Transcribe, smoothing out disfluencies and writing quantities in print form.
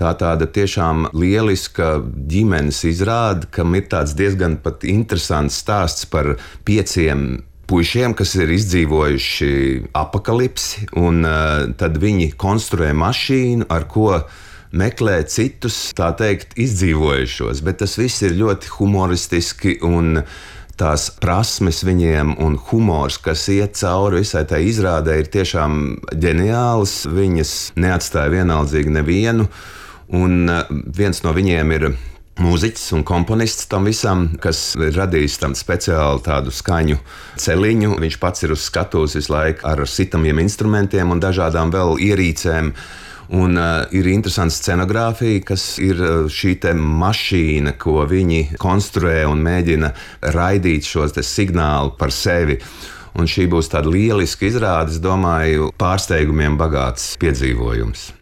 Tā tāda tiešām lieliska ģimenes izrāde, kam ir tāds diezgan pat interesants stāsts par 5 puišiem, kas ir izdzīvojuši apakalipsi, un tad viņi konstruē mašīnu, ar ko meklē citus, tā teikt, izdzīvojušos. Bet tas viss ir ļoti humoristiski, un tās prasmes viņiem un humors, kas iet cauri visai tai izrādē, ir tiešām ģeniāls. Viņas neatstāja vienaldzīgi nevienu, un viens no viņiem ir mūziķis un komponists tam visam, kas ir radījis tam speciāli tādu skaņu celiņu. Viņš pats ir uz skatuves visu laiku ar sitamiem instrumentiem un dažādām vēl ierīcēm. Un ir interesanta scenogrāfija, kas ir šī te mašīna, ko viņi konstruē un mēģina raidīt šos te signālu par sevi. Un šī būs tāda lieliska izrāde, es domāju, pārsteigumiem bagāts piedzīvojums.